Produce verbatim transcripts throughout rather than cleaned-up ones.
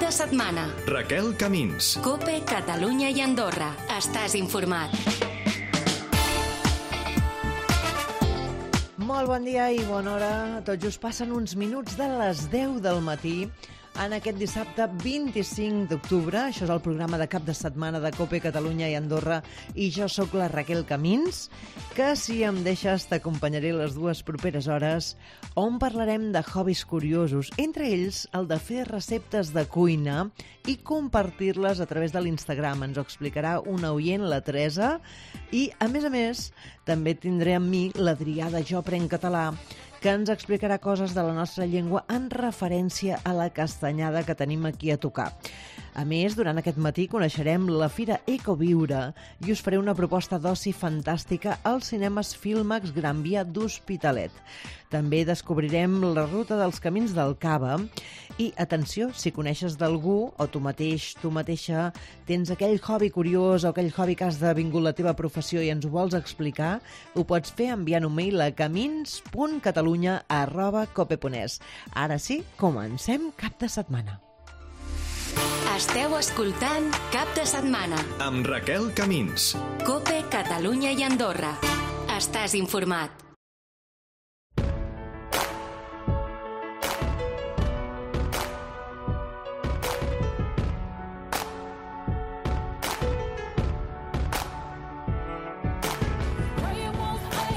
de setmana. Raquel Camins. COPE, Catalunya i Andorra. Estàs informat. Molt bon dia i bona hora. Tot just passen uns minuts de les deu del matí en aquest dissabte vint-i-cinc d'octubre. Això és el programa de cap de setmana de COPE, Catalunya i Andorra, i jo sóc la Raquel Camins, que si em deixes t'acompanyaré les dues properes hores, on parlarem de hobbies curiosos, entre ells el de fer receptes de cuina i compartir-les a través de l'Instagram. Ens ho explicarà una oient, la Teresa, i a més a més també tindré amb mi l'Adrià de Jo Aprenc Català, que ens explicarà coses de la nostra llengua en referència a la castanyada que tenim aquí a tocar. A més, durant aquest matí coneixerem la Fira Ecoviure i us faré una proposta d'oci fantàstica als cinemes Filmax Gran Via d'Hospitalet. També descobrirem la ruta dels camins del Cava i, atenció, si coneixes d'algú o tu mateix, tu mateixa, tens aquell hobby curiós o aquell hobby que has devingut la teva professió i ens ho vols explicar, ho pots fer enviant un mail a camins punt catalunya arroba cope punt es. Ara sí, comencem cap de setmana. Esteu escoltant Cap de Setmana amb Raquel Camins. COPE, Catalunya i Andorra. Estàs informat.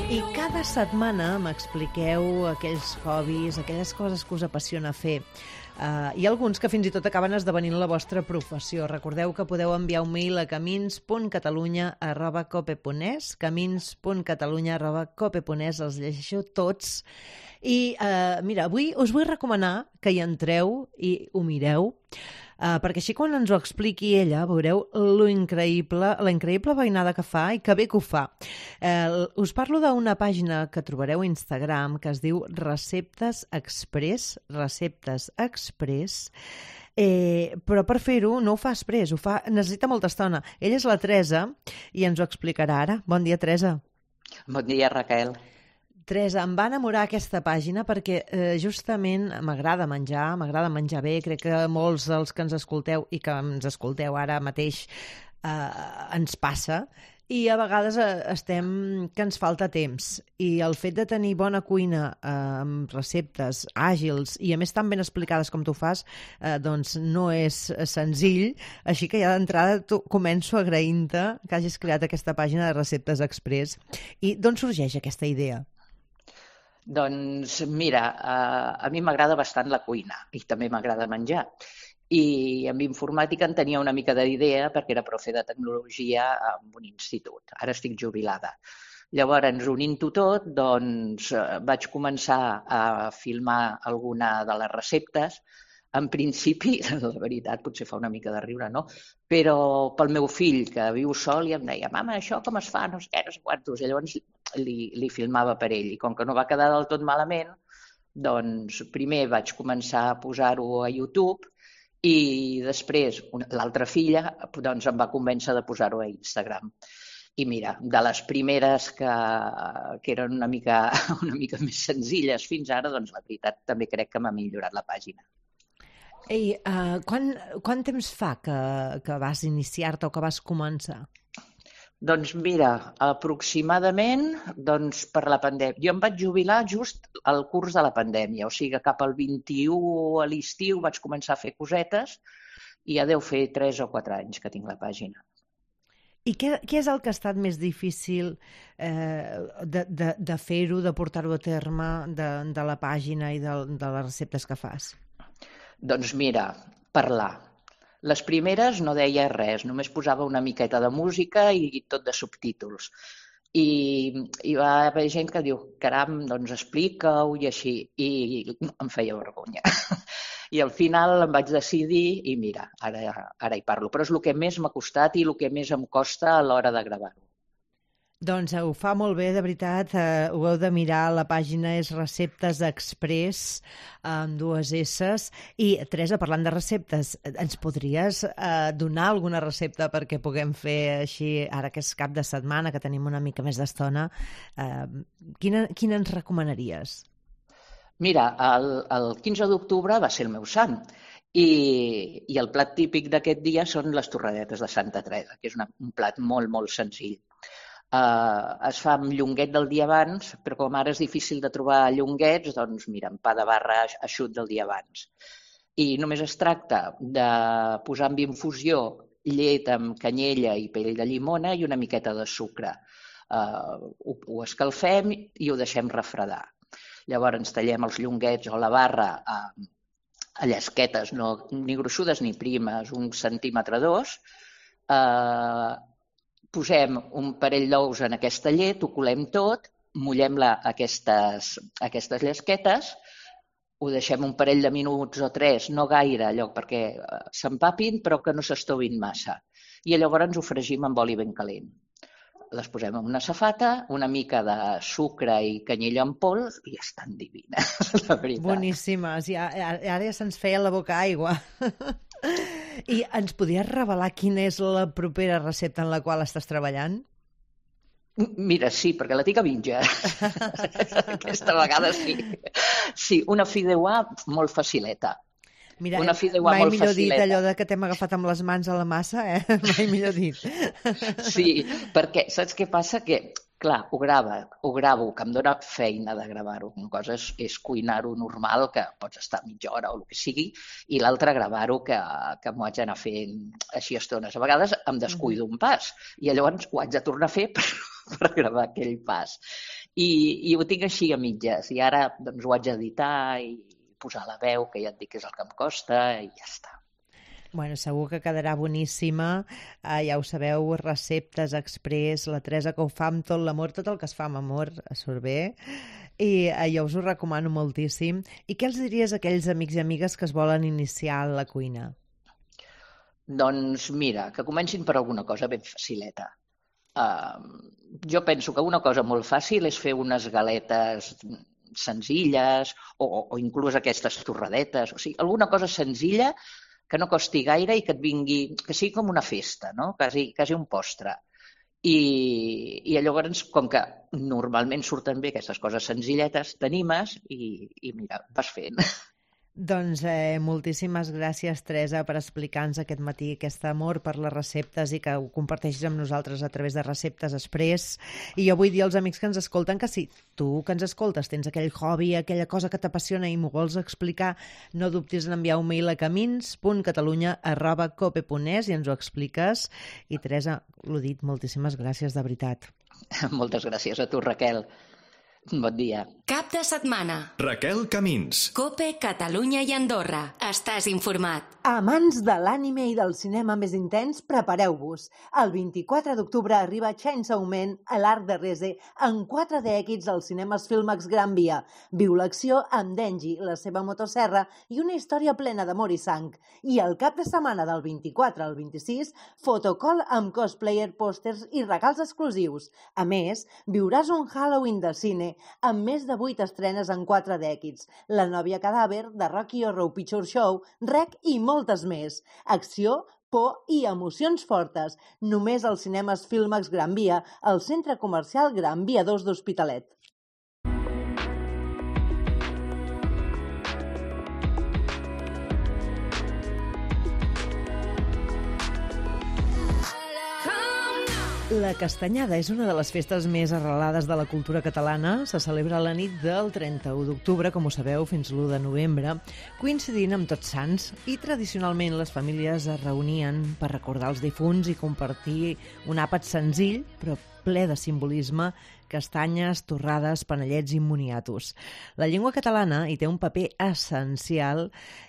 I cada setmana m'expliqueu aquells hobbies, aquelles coses que us apassiona fer. Uh, hi ha alguns que fins i tot acaben esdevenint la vostra professió. Recordeu que podeu enviar un mail a camins punt catalunya arroba cope punt es, camins punt catalunya arroba cope punt es, els llegeixo tots. I uh, mira, avui us vull recomanar que hi entreu i ho mireu, Uh, perquè així quan ens ho expliqui ella veureu lo increïble, la increïble veïnada que fa i que bé que ho fa. Uh, us parlo d'una pàgina que trobareu a Instagram que es diu Receptes Express, Receptes Express, eh, però per fer-ho no ho fa express, ho fa, necessita molta estona. Ella és la Teresa i ens ho explicarà ara. Bon dia, Teresa. Bon dia, Raquel. Teresa, em va enamorar aquesta pàgina perquè eh, justament m'agrada menjar, m'agrada menjar bé, crec que molts dels que ens escolteu i que ens escolteu ara mateix eh, ens passa, i a vegades eh, estem que ens falta temps, i el fet de tenir bona cuina eh, amb receptes àgils i a més tan ben explicades com tu fas, eh, doncs no és senzill, així que ja d'entrada començo agraint-te que hagis creat aquesta pàgina de Receptes Express. I d'on sorgeix aquesta idea? Doncs mira, a mi m'agrada bastant la cuina i també m'agrada menjar. I amb informàtica en tenia una mica d'idea perquè era profe de tecnologia en un institut. Ara estic jubilada. Llavors, unint-ho tot, doncs vaig començar a filmar alguna de les receptes. En principi, la veritat, potser fa una mica de riure, no? Però pel meu fill, que viu sol, i em deia, mama, això com es fa? No sé què, no sé quantos. I llavors li, li filmava per ell. I com que no va quedar del tot malament, doncs primer vaig començar a posar-ho a YouTube i després l'altra filla doncs, em va convèncer de posar-ho a Instagram. I mira, de les primeres que, que eren una mica, una mica més senzilles fins ara, doncs la veritat també crec que m'ha millorat la pàgina. Ei, uh, quan, quant temps fa que, que vas iniciar-te o que vas començar? Doncs mira, aproximadament doncs, per la pandèmia. Jo em vaig jubilar just al curs de la pandèmia, o sigui cap al vint-i-u a l'estiu vaig començar a fer cosetes i ja deu fer tres o quatre anys que tinc la pàgina. I què, què és el que ha estat més difícil eh, de, de, de fer-ho, de portar-ho a terme, de, de la pàgina i de, de les receptes que fas? Doncs mira, parlar. Les primeres no deia res, només posava una miqueta de música i tot de subtítols. I hi va haver gent que diu, caram, doncs explica-ho i així. I em feia vergonya. I al final em vaig decidir i mira, ara, ara hi parlo. Però és el que més m'ha costat i el que més em costa a l'hora de gravar-ho. Doncs ho fa molt bé, de veritat, eh, ho heu de mirar, la pàgina és Receptes Express, amb dues esses. I, Teresa, parlant de receptes, ens podries eh, donar alguna recepta perquè puguem fer així, ara que és cap de setmana, que tenim una mica més d'estona, eh, quina, quina ens recomanaries? Mira, el, el quinze d'octubre va ser el meu sant I, i el plat típic d'aquest dia són les torradetes de Santa Teresa, que és una, un plat molt, molt senzill. Uh, es fa amb llonguet del dia abans, però com ara és difícil de trobar llonguets, doncs mira, amb pa de barra eixut del dia abans. I només es tracta de posar en infusió llet amb canyella i pell de llimona i una miqueta de sucre. Uh, ho, ho escalfem i ho deixem refredar. Llavors tallem els llonguets o la barra a, a llesquetes, no, ni gruixudes ni primes, un centímetre dos. Uh, posem un parell d'ous en aquesta llet, ho colem tot, mullem-la a aquestes, a aquestes llesquetes, ho deixem un parell de minuts o tres, no gaire, allò perquè s'empapin però que no s'estovin massa. I llavors ens ho fregim amb oli ben calent. Les posem en una safata, una mica de sucre i canyella en pols i estan divines, la veritat. Boníssimes. Ja, ara ja se'ns feia la boca aigua. I ens podries revelar quina és la propera recepta en la qual estàs treballant? Mira, sí, perquè la tinc a mitja. Aquesta vegada sí. Sí, una fideuà molt facileta. Mira, una fideuà mai molt millor facileta. dit allò de que t'hem agafat amb les mans a la massa, eh? Mai millor dit. Sí, perquè saps què passa? Que, clar, ho grava, ho gravo, que em dóna feina de gravar-ho. Una cosa és, és cuinar-ho normal, que pots estar mitja hora o el que sigui, i l'altra gravar-ho, que, que m'ho haig d'anar fent així estones. A vegades em descuido un pas, i llavors ho haig de tornar a fer per, per gravar aquell pas. I, i ho tinc així a mitges, i ara doncs, ho haig d'editar i posar la veu, que ja et dic que és el que em costa, i ja està. Bueno, segur que quedarà boníssima. Uh, ja ho sabeu, receptes express, la Teresa que ho fa amb tot l'amor, tot el que es fa amb amor surt bé. I uh, jo us ho recomano moltíssim. I què els diries a aquells amics i amigues que es volen iniciar en la cuina? Doncs mira, que comencin per alguna cosa ben facileta. Uh, jo penso que una cosa molt fàcil és fer unes galetes senzilles o, o inclús aquestes torradetes. O sigui, alguna cosa senzilla que no costi gaire i que et vingui, que sigui com una festa, no? Quasi, quasi un postre. I, i llavors, com que normalment surten bé aquestes coses senzilletes, t'animes i, i mira, vas fent. Doncs eh, moltíssimes gràcies, Teresa, per explicar-nos aquest matí aquest amor per les receptes i que ho comparteixis amb nosaltres a través de Receptes Express. I jo vull dir als amics que ens escolten que si tu que ens escoltes tens aquell hobby, aquella cosa que t'apassiona i m'ho vols explicar, no dubtis en enviar un mail a camins punt catalunya arroba cope punt es i ens ho expliques. I Teresa, l'ho dit, moltíssimes gràcies, de veritat. Moltes gràcies a tu, Raquel. Bon dia. Cap de setmana. Raquel Camins. Cope, Catalunya i Andorra. Estàs informat. Amants de l'ànime i del cinema més intens, prepareu-vos. El vint-i-quatre d'octubre arriba Chainsaw Man a l'Arc de Rese en quatre D X als cinemes Filmax Gran Via. Viu l'acció amb Denji, la seva motosserra i una història plena d'amor i sang. I el cap de setmana del vint-i-quatre al vint-i-sis, fotocall amb cosplayer, pòsters i regals exclusius. A més, viuràs un Halloween de cine amb més de vuit estrenes en quatre D X. La nòvia cadàver, de Rocky Horror Picture Show, Rec i moltes més. Acció, por i emocions fortes. Només als cinemes Filmax Gran Via, al centre comercial Gran Via dos d'Hospitalet. La Castanyada és una de les festes més arrelades de la cultura catalana. Se celebra la nit del trenta-u d'octubre, com ho sabeu, fins l'u de novembre, coincidint amb Tots Sants, i tradicionalment les famílies es reunien per recordar els difunts i compartir un àpat senzill, però ple de simbolisme, castanyes, torrades, panellets i moniatos. La llengua catalana hi té un paper essencial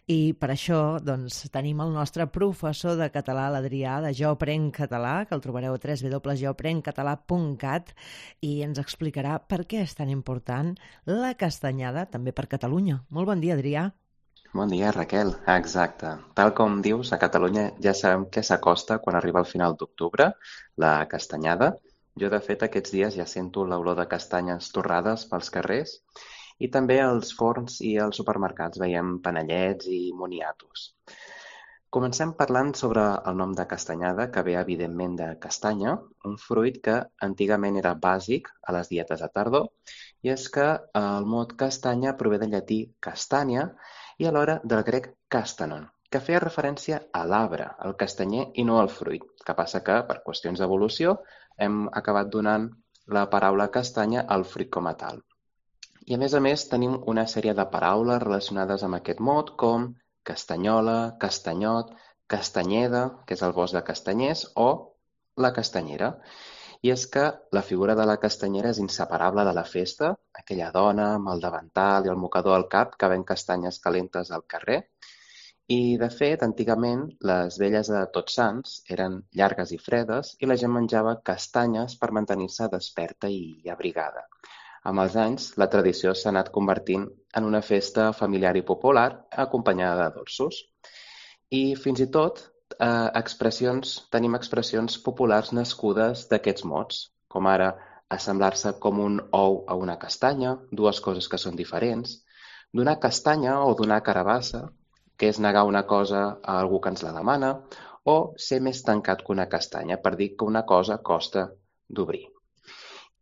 i per això doncs, tenim el nostre professor de català, l'Adrià, de Jo Aprenc Català, que el trobareu a w w w punt jo aprenc català punt cat, i ens explicarà per què és tan important la castanyada també per Catalunya. Molt bon dia, Adrià. Bon dia, Raquel. Exacte. Tal com dius, a Catalunya ja sabem què s'acosta quan arriba el final d'octubre, la castanyada. Jo, de fet, aquests dies ja sento l'olor de castanyes torrades pels carrers i també als forns i als supermercats veiem panellets i moniatos. Comencem parlant sobre el nom de castanyada, que ve, evidentment, de castanya, un fruit que antigament era bàsic a les dietes de tardor, i és que el mot castanya prové del llatí castanya i alhora del grec castanon, que feia referència a l'arbre, al castanyer i no al fruit. El que passa que, per qüestions d'evolució, hem acabat donant la paraula castanya al fruit com a tal. I a més a més tenim una sèrie de paraules relacionades amb aquest mot, com castanyola, castanyot, castanyeda, que és el bosc de castanyers, o la castanyera. I és que la figura de la castanyera és inseparable de la festa, aquella dona amb el davantal i el mocador al cap que ven castanyes calentes al carrer. I, de fet, antigament les velles de Tots Sants eren llargues i fredes i la gent menjava castanyes per mantenir-se desperta i abrigada. Amb els anys, la tradició s'ha anat convertint en una festa familiar i popular acompanyada de dolços. I fins i tot eh, expressions, tenim expressions populars nascudes d'aquests mots, com ara assemblar-se com un ou a una castanya, dues coses que són diferents, donar castanya o donar carabassa, que és negar una cosa a algú que ens la demana, o ser més tancat que una castanya, per dir que una cosa costa d'obrir.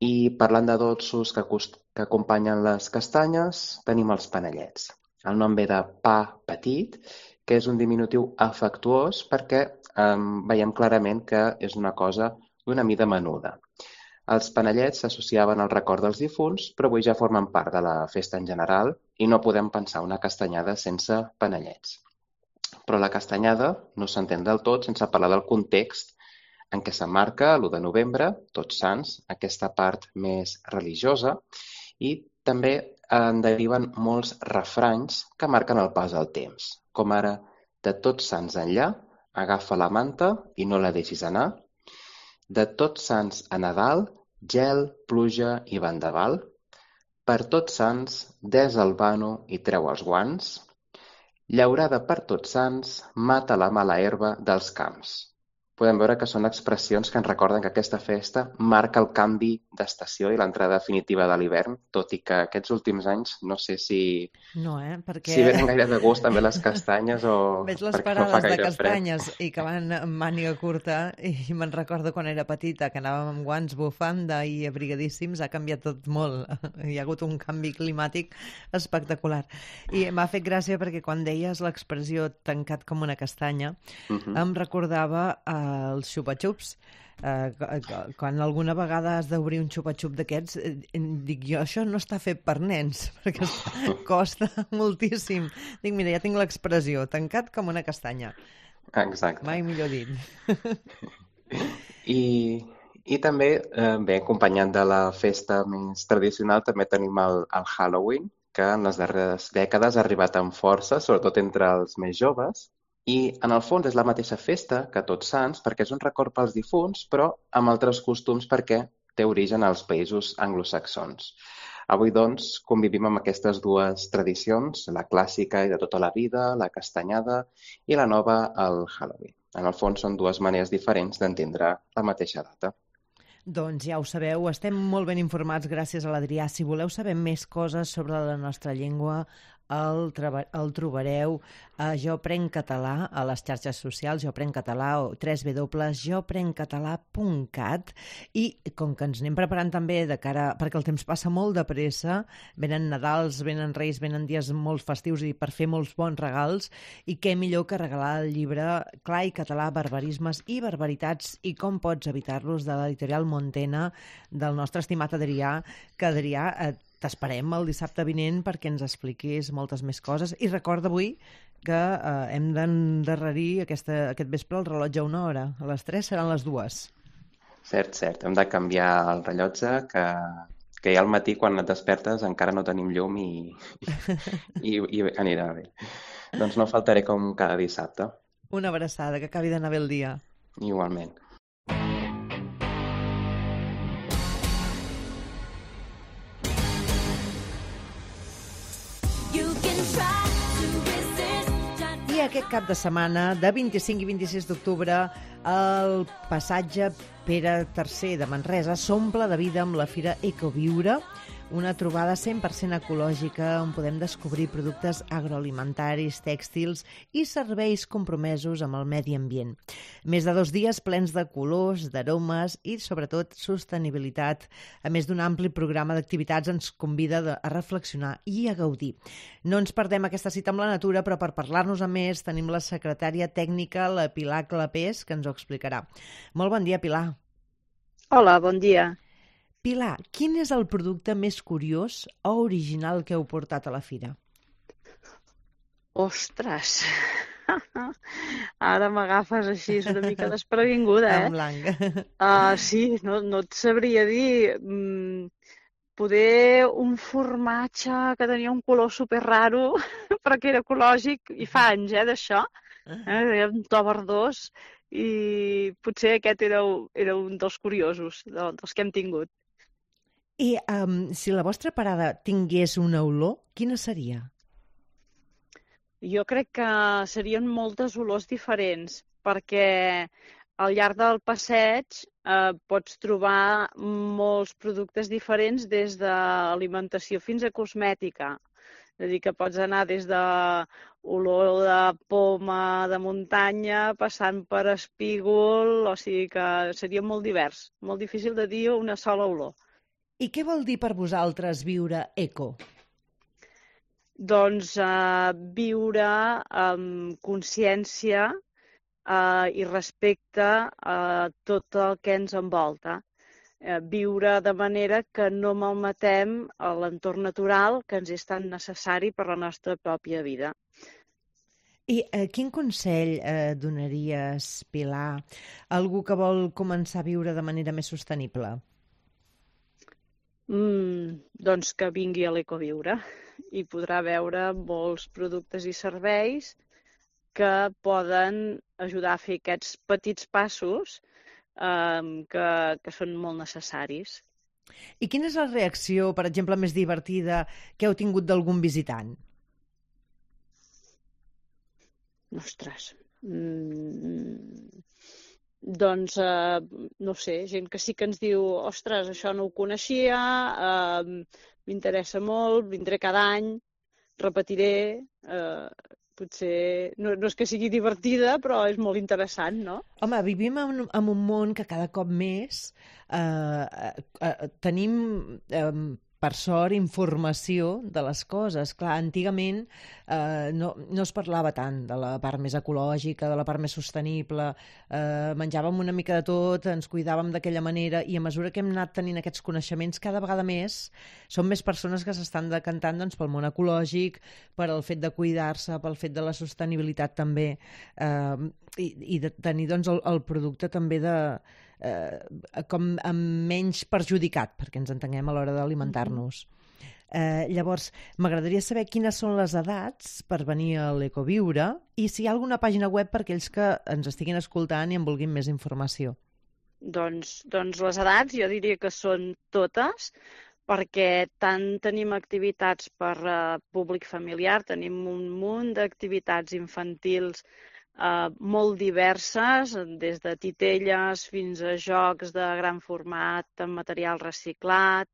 I parlant de dolços que, que acompanyen les castanyes, tenim els panellets. El nom ve de pa petit, que és un diminutiu afectuós perquè eh, veiem clarament que és una cosa d'una mida menuda. Els panellets s'associaven al record dels difunts, però avui ja formen part de la festa en general i no podem pensar una castanyada sense panellets. Però la castanyada no s'entén del tot sense parlar del context en què s'emmarca l'u de novembre, Tots Sants, aquesta part més religiosa, i també en deriven molts refranys que marquen el pas del temps, com ara de Tots Sants enllà, agafa la manta i no la deixis anar, de Tots Sants a Nadal, gel, pluja i vendaval, per Tots Sants, desa el vano i treu els guants, llaurada per Tots Sants, mata la mala herba dels camps. Podem veure que són expressions que ens recorden que aquesta festa marca el canvi d'estació i l'entrada definitiva de l'hivern, tot i que aquests últims anys no sé si, no, eh? Perquè... si venen gaire de gust també les castanyes o veig les perquè no fa parades de gaire castanyes fred. I que van amb màniga curta i me'n recordo quan era petita que anàvem amb guants, bufanda i abrigadíssims, ha canviat tot molt. Hi ha hagut un canvi climàtic espectacular. I m'ha fet gràcia perquè quan deies l'expressió tancat com una castanya, uh-huh. em recordava eh, els xupa-xups. Eh, quan alguna vegada has d'obrir un xupa-xup d'aquests, eh, dic jo, això no està fet per nens, perquè costa moltíssim. Dic, mira, ja tinc l'expressió, tancat com una castanya. Exacte. Mai millor dit. I, i també, eh, bé, acompanyant de la festa més tradicional, també tenim el, el Halloween, que en les darreres dècades ha arribat amb força, sobretot entre els més joves. I, en el fons, és la mateixa festa que Tots Sants, perquè és un record pels difunts, però amb altres costums perquè té origen als països anglosaxons. Avui, doncs, convivim amb aquestes dues tradicions, la clàssica i de tota la vida, la castanyada, i la nova, el Halloween. En el fons, són dues maneres diferents d'entendre la mateixa data. Doncs ja ho sabeu, estem molt ben informats gràcies a l'Adrià. Si voleu saber més coses sobre la nostra llengua, el, el trobareu a Jo Prenc Català a les xarxes socials, Jo Prenc Català o w w w punt jo prenc català punt cat, i com que ens anem preparant també de cara, perquè el temps passa molt de pressa, venen Nadals, venen Reis, venen dies molt festius i per fer molts bons regals, i què millor que regalar el llibre Clar i català, barbarismes i barbaritats i com pots evitar-los, de l'editorial Montena, del nostre estimat Adrià, que Adrià eh, t'esperem el dissabte vinent perquè ens expliquis moltes més coses. I recorda avui que eh, hem d'endarrerir aquesta, aquest vespre el rellotge a una hora. A les tres seran les dues. Cert, cert. Hem de canviar el rellotge, que, que ja al matí, quan et despertes, encara no tenim llum i, i, i anirà bé. Doncs no faltaré com cada dissabte. Una abraçada, que acabi d'anar bé el dia. Igualment. I aquest cap de setmana, de vint-i-cinc i vint-i-sis d'octubre, el passatge Pere tercer de Manresa s'omple de vida amb la Fira Ecoviure, una trobada cent per cent ecològica on podem descobrir productes agroalimentaris, tèxtils i serveis compromesos amb el medi ambient. Més de dos dies plens de colors, d'aromes i, sobretot, sostenibilitat. A més d'un ampli programa d'activitats ens convida a reflexionar i a gaudir. No ens perdem aquesta cita amb la natura, però per parlar-nos a més tenim la secretària tècnica, la Pilar Clapés, que ens ho explicarà. Molt bon dia, Pilar. Hola, bon dia. Pilar, quin és el producte més curiós o original que heu portat a la fira? Ostres! Ara m'agafes així, és una mica desprevinguda, eh? En blanc. Uh, sí, no, no et sabria dir. Mm, poder un formatge que tenia un color super raro, però que era ecològic, i fa anys, eh, d'això. Eh, un to verdós, i potser aquest era, era un dels curiosos, dels que hem tingut. I um, si la vostra parada tingués una olor, quina seria? Jo crec que serien moltes olors diferents, perquè al llarg del passeig eh, pots trobar molts productes diferents des d'alimentació fins a cosmètica. És a dir, que pots anar des de olor de poma de muntanya, passant per espígol, o sigui que seria molt divers, molt difícil de dir una sola olor. I què vol dir per vosaltres viure eco? Doncs eh, viure amb consciència eh, i respecte a tot el que ens envolta. Eh, viure de manera que no malmetem l'entorn natural que ens és tan necessari per la nostra pròpia vida. I eh, quin consell eh, donaries, Pilar, a algú que vol començar a viure de manera més sostenible? Mm, doncs que vingui a l'Ecoviure i podrà veure molts productes i serveis que poden ajudar a fer aquests petits passos eh, que, que són molt necessaris. I quina és la reacció, per exemple, més divertida que heu tingut d'algun visitant? Ostres... Mm... Doncs, eh, no sé, gent que sí que ens diu ostres, això no ho coneixia, eh, m'interessa molt, vindré cada any, repetiré, eh, potser no, no és que sigui divertida, però és molt interessant, no? Home, vivim en, en un món que cada cop més eh, eh, tenim... Eh, per sort, informació de les coses. Clar, antigament eh, no, no es parlava tant de la part més ecològica, de la part més sostenible, eh, menjàvem una mica de tot, ens cuidàvem d'aquella manera, i a mesura que hem anat tenint aquests coneixements, cada vegada més són més persones que s'estan decantant doncs, pel món ecològic, per el fet de cuidar-se, pel fet de la sostenibilitat també, eh, i, i de tenir doncs, el, el producte també de... Eh, com amb menys perjudicat, perquè ens entenguem a l'hora d'alimentar-nos. Eh, llavors, m'agradaria saber quines són les edats per venir a l'Ecoviure i si hi ha alguna pàgina web per aquells que ens estiguin escoltant i en vulguin més informació. Doncs, doncs les edats jo diria que són totes, perquè tant tenim activitats per uh, públic familiar, tenim un munt d'activitats infantils Uh, molt diverses, des de titelles fins a jocs de gran format amb material reciclat,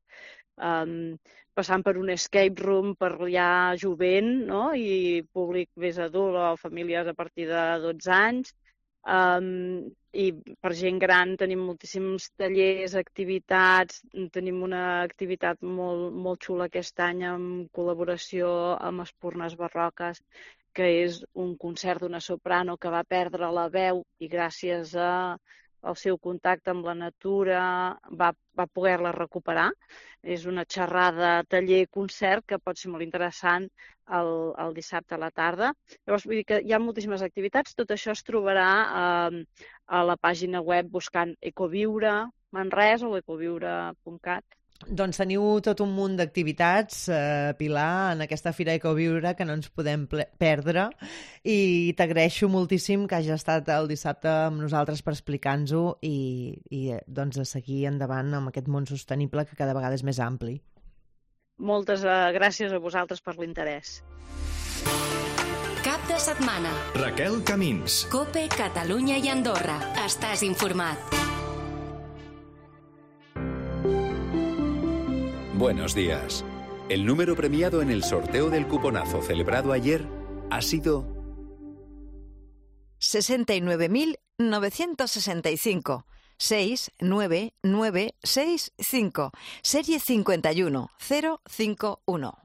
um, passant per un escape room per ja jovent, no? I públic més adult o famílies a partir de dotze anys. Um, I per gent gran tenim moltíssims tallers, activitats, tenim una activitat molt, molt xula aquest any en col·laboració amb Espurnes Barroques, que és un concert d'una soprano que va perdre la veu i gràcies a, al seu contacte amb la natura va, va poder-la recuperar. És una xerrada, taller, concert que pot ser molt interessant el, el dissabte a la tarda. Llavors, vull dir que hi ha moltíssimes activitats. Tot això es trobarà eh, a la pàgina web buscant Ecoviure Manresa o ecoviure punt cat. Doncs teniu tot un munt d'activitats, eh, Pilar, en aquesta Fira Ecoviure que no ens podem perdre, i t'agraeixo moltíssim que hagi estat el dissabte amb nosaltres per explicar-nos-ho i, i doncs de seguir endavant amb aquest món sostenible que cada vegada és més ampli. Moltes uh, gràcies a vosaltres per l'interès. Cap de setmana. Raquel Camins. COPE, Catalunya i Andorra. Estàs informat. Buenos días. El número premiado en el sorteo del cuponazo celebrado ayer ha sido sesenta y nueve mil novecientos sesenta y cinco. seis nueve nueve seis cinco. Serie cincuenta y uno cero cinco uno.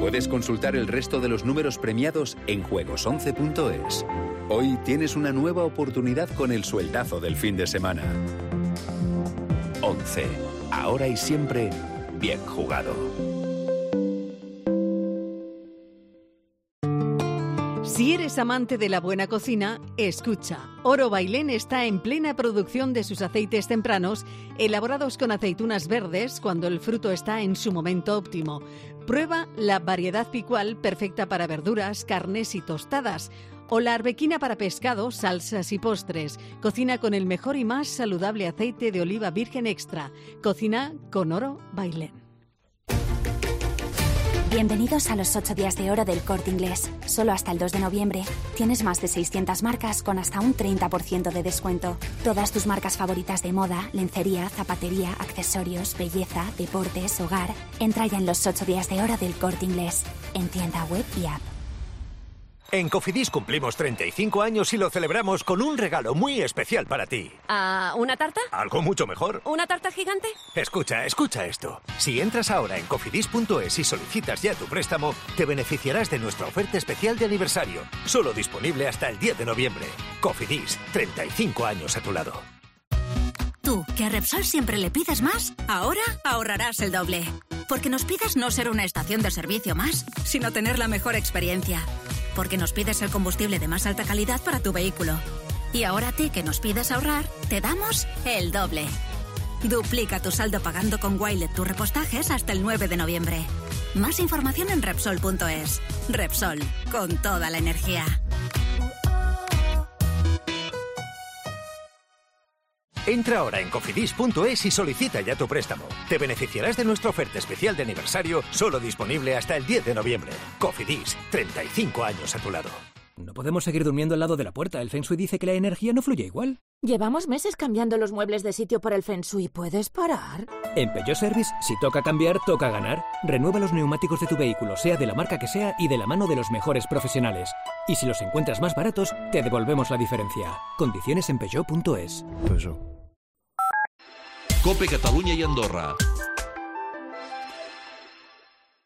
Puedes consultar el resto de los números premiados en juegos once punto es. Hoy tienes una nueva oportunidad con el sueldazo del fin de semana. once. Ahora y siempre, bien jugado. Si eres amante de la buena cocina, escucha. Oro Bailén está en plena producción de sus aceites tempranos, elaborados con aceitunas verdes cuando el fruto está en su momento óptimo. Prueba la variedad picual perfecta para verduras, carnes y tostadas. O la arbequina para pescado, salsas y postres. Cocina con el mejor y más saludable aceite de oliva virgen extra. Cocina con Oro Bailén. Bienvenidos a los ocho días de oro del Corte Inglés. Solo hasta el dos de noviembre tienes más de seiscientas marcas con hasta un treinta por ciento de descuento. Todas tus marcas favoritas de moda, lencería, zapatería, accesorios, belleza, deportes, hogar. Entra ya en los ocho días de oro del Corte Inglés, en tienda web y app. En Cofidis cumplimos treinta y cinco años y lo celebramos con un regalo muy especial para ti. ¿Ah, una tarta? Algo mucho mejor. ¿Una tarta gigante? Escucha, escucha esto. Si entras ahora en cofidis punto es y solicitas ya tu préstamo, te beneficiarás de nuestra oferta especial de aniversario. Solo disponible hasta el diez de noviembre. Cofidis, treinta y cinco años a tu lado. Tú, que a Repsol siempre le pides más, ahora ahorrarás el doble. Porque nos pides no ser una estación de servicio más, sino tener la mejor experiencia. Porque nos pides el combustible de más alta calidad para tu vehículo. Y ahora a ti, que nos pides ahorrar, te damos el doble. Duplica tu saldo pagando con Wilet tus repostajes hasta el nueve de noviembre. Más información en Repsol punto es. Repsol, con toda la energía. Entra ahora en cofidis punto es y solicita ya tu préstamo. Te beneficiarás de nuestra oferta especial de aniversario, solo disponible hasta el diez de noviembre. Cofidis, treinta y cinco años a tu lado. No podemos seguir durmiendo al lado de la puerta. El Feng Shui dice que la energía no fluye igual. Llevamos meses cambiando los muebles de sitio por el Feng Shui. ¿Puedes parar? En Peugeot Service, si toca cambiar, toca ganar. Renueva los neumáticos de tu vehículo, sea de la marca que sea y de la mano de los mejores profesionales. Y si los encuentras más baratos, te devolvemos la diferencia. Condiciones en Peugeot punto es. Peugeot. Cope Catalunya i Andorra.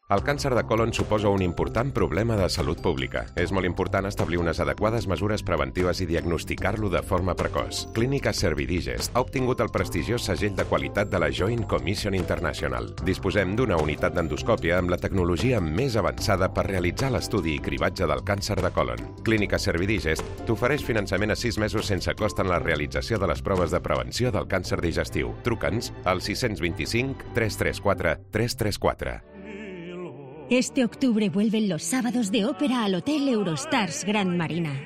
El càncer de còlon suposa un important problema de salut pública. És molt important establir unes adequades mesures preventives i diagnosticar-lo de forma precoç. Clínica Servidigest ha obtingut el prestigiós segell de qualitat de la Joint Commission International. Disposem d'una unitat d'endoscòpia amb la tecnologia més avançada per realitzar l'estudi i cribatge del càncer de còlon. Clínica Servidigest t'ofereix finançament a sis mesos sense cost en la realització de les proves de prevenció del càncer digestiu. Truca'ns al sis dos cinc, tres tres quatre, tres tres quatre. Este octubre vuelven los sábados de ópera al Hotel Eurostars Grand Marina.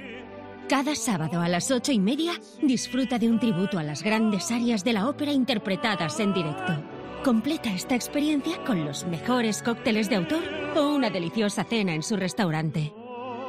Cada sábado a las ocho y media disfruta de un tributo a las grandes arias de la ópera interpretadas en directo. Completa esta experiencia con los mejores cócteles de autor o una deliciosa cena en su restaurante.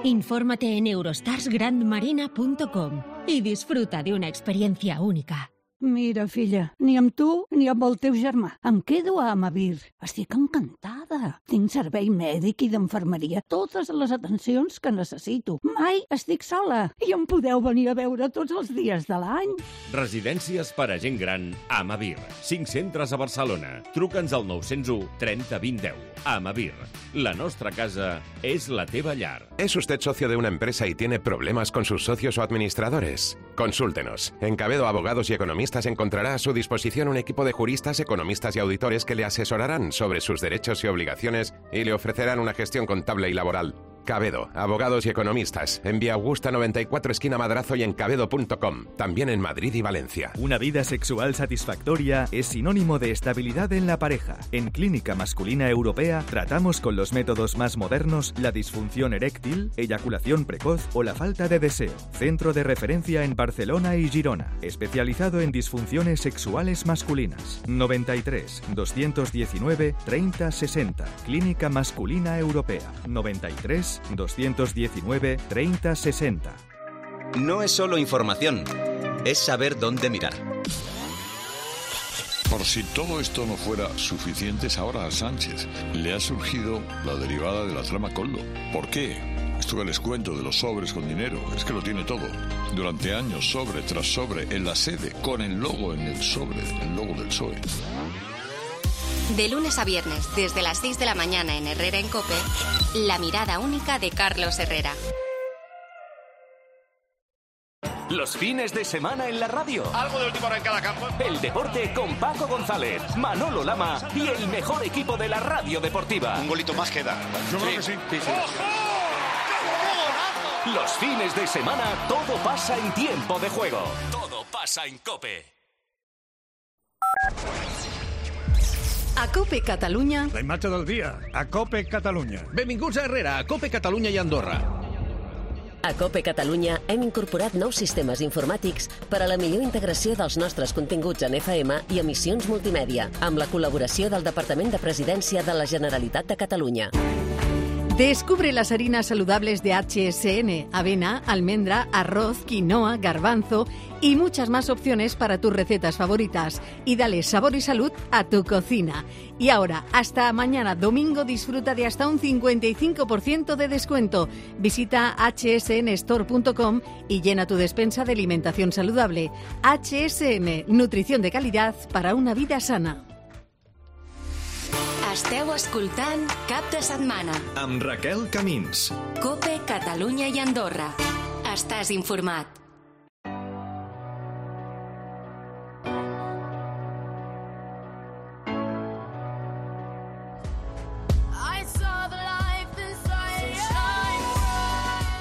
Infórmate en eurostars grand marina punto com y disfruta de una experiencia única. Mira, filla, ni amb tu ni amb el teu germà. Em quedo a Amavir. Estic encantada. Tinc servei mèdic i d'infermeria, totes les atencions que necessito. Mai estic sola i em podeu venir a veure tots els dies de l'any. Residències per a gent gran Amavir. Cinc centres a Barcelona. Truca'ns al nou zero u, trenta, vint, deu. Amavir. La nostra casa és la teva llar. ¿Es usted socio de una empresa y tiene problemas con sus socios o administradores? Consúltenos. En Cabedo Abogados y Economistas encontrará a su disposición un equipo de juristas, economistas y auditores que le asesorarán sobre sus derechos y obligaciones y le ofrecerán una gestión contable y laboral. Cabedo, Abogados y Economistas, en Vía Augusta noventa y cuatro, esquina Madrazo, y en cabedo punto com, también en Madrid y Valencia. Una vida sexual satisfactoria es sinónimo de estabilidad en la pareja. En Clínica Masculina Europea tratamos con los métodos más modernos la disfunción eréctil, eyaculación precoz o la falta de deseo. Centro de referencia en Barcelona y Girona, especializado en disfunciones sexuales masculinas. noventa y tres, doscientos diecinueve, treinta, sesenta. Clínica Masculina Europea. noventa y tres, doscientos diecinueve, treinta, sesenta. No es solo información, es saber dónde mirar. Por si todo esto no fuera suficiente, ahora a Sánchez le ha surgido la derivada de la trama Coldo. ¿Por qué? Esto que les cuento de los sobres con dinero, es que lo tiene todo. Durante años, sobre tras sobre, en la sede, con el logo en el sobre, el logo del P S O E. De lunes a viernes, desde las seis de la mañana en Herrera en COPE, la mirada única de Carlos Herrera. Los fines de semana en la radio. Algo de última hora en cada campo. El deporte con Paco González, Manolo Lama y el mejor equipo de la radio deportiva. Un golito más queda. Yo creo que sí. sí, sí. Los fines de semana todo pasa en tiempo de juego. Todo pasa en COPE. A COPE Catalunya. La imatge del dia. A COPE Catalunya. Benvinguts a Herrera, a COPE Catalunya i Andorra. A COPE Catalunya hem incorporat nous sistemes informàtics per a la millor integració dels nostres continguts en F M i emissions multimèdia, amb la col·laboració del Departament de Presidència de la Generalitat de Catalunya. Descubre las harinas saludables de H S N, avena, almendra, arroz, quinoa, garbanzo y muchas más opciones para tus recetas favoritas. Y dale sabor y salud a tu cocina. Y ahora, hasta mañana domingo, disfruta de hasta un cincuenta y cinco por ciento de descuento. Visita h s n store punto com y llena tu despensa de alimentación saludable. H S N, nutrición de calidad para una vida sana. Esteu escoltant Cap de Setmana. Amb Raquel Camins. COPE, Catalunya i Andorra. Estàs informat.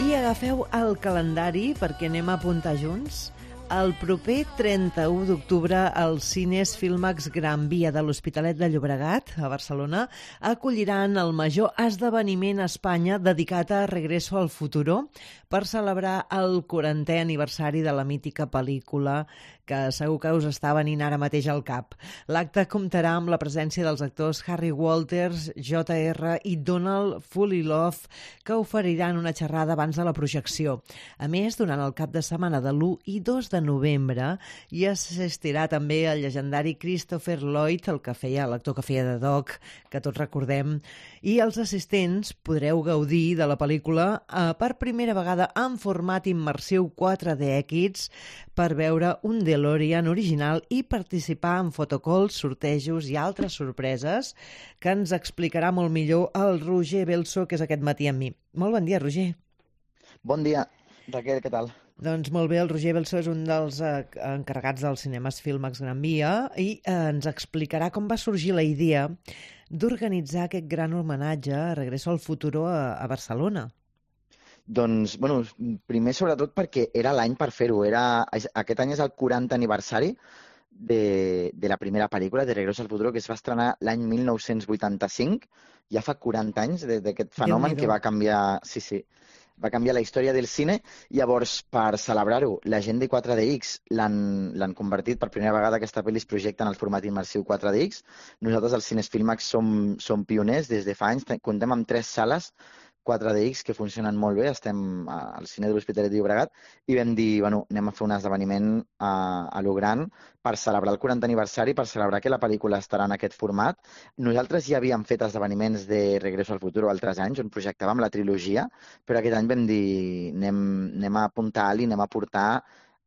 I agafeu el calendari perquè anem a apuntar junts. El proper trenta-u d'octubre, els cines Filmax Gran Via de l'Hospitalet de Llobregat, a Barcelona, acolliran el major esdeveniment a Espanya dedicat a Regreso al Futuro per celebrar el quarantè aniversari de la mítica pel·lícula que segur que us està venint ara mateix al cap. L'acte comptarà amb la presència dels actors Harry Walters, J R i Donald Fulilov, que oferiran una xerrada abans de la projecció. A més, durant el cap de setmana de l'u i dos de novembre, hi assistirà també el llegendari Christopher Lloyd, el que feia, l'actor que feia de Doc, que tots recordem, i els assistents podreu gaudir de la pel·lícula eh, per primera vegada en format immersiu quatre D X per veure un DeLorean original i participar en fotocalls, sortejos i altres sorpreses que ens explicarà molt millor el Roger Belso, que és aquest matí amb mi. Molt bon dia, Roger. Bon dia, Raquel, què tal? Doncs molt bé, el Roger Belso és un dels eh, encarregats dels cinemes Filmax Gran Via i eh, ens explicarà com va sorgir la idea d'organitzar aquest gran homenatge a Regreso al Futuro a, a Barcelona. Doncs, bueno, primer sobretot perquè era l'any per fer-ho. Era, aquest any és el quaranta aniversari de, de la primera pel·lícula, de Regreso al Futuro, que es va estrenar l'any mil nou-cents vuitanta-cinc. Ja fa quaranta anys d'aquest fenomen que va canviar, sí, sí, va canviar la història del cine. Llavors, per celebrar-ho, la gent de quatre D X l'han convertit per primera vegada. Aquesta pel·li es projecta en el format immersiu quatre D X. Nosaltres, als Cines Filmax, som, som pioners des de fa anys. Comptem amb tres sales quatre D X que funcionen molt bé. Estem al cine de l'Hospitalet de Llobregat i vam dir, bueno, anem a fer un esdeveniment a, a lo gran per celebrar el quaranta aniversari, per celebrar que la pel·lícula estarà en aquest format. Nosaltres ja havíem fet esdeveniments de Regreso al Futuro altres anys on projectàvem la trilogia, però aquest any vam dir, anem, anem a apuntar alt i anem a portar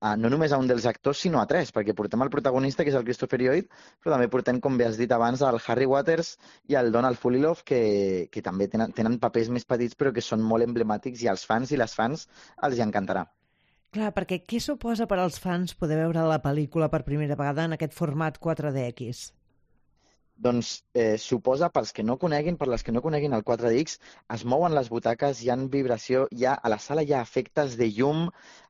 Uh, no només a un dels actors, sinó a tres, perquè portem el protagonista, que és el Christopher Lloyd, però també portem, com bé has dit abans, el Harry Waters i el Donald Fulilov, que, que també tenen, tenen papers més petits, però que són molt emblemàtics i als fans i les fans els hi encantarà. Clar, perquè què suposa per als fans poder veure la pel·lícula per primera vegada en aquest format quatre D X? Doncs eh, suposa, pels que no coneguin, per les que no coneguin el quatre D X, es mouen les butaques, hi ha vibració, hi ha, a la sala hi ha efectes de llum,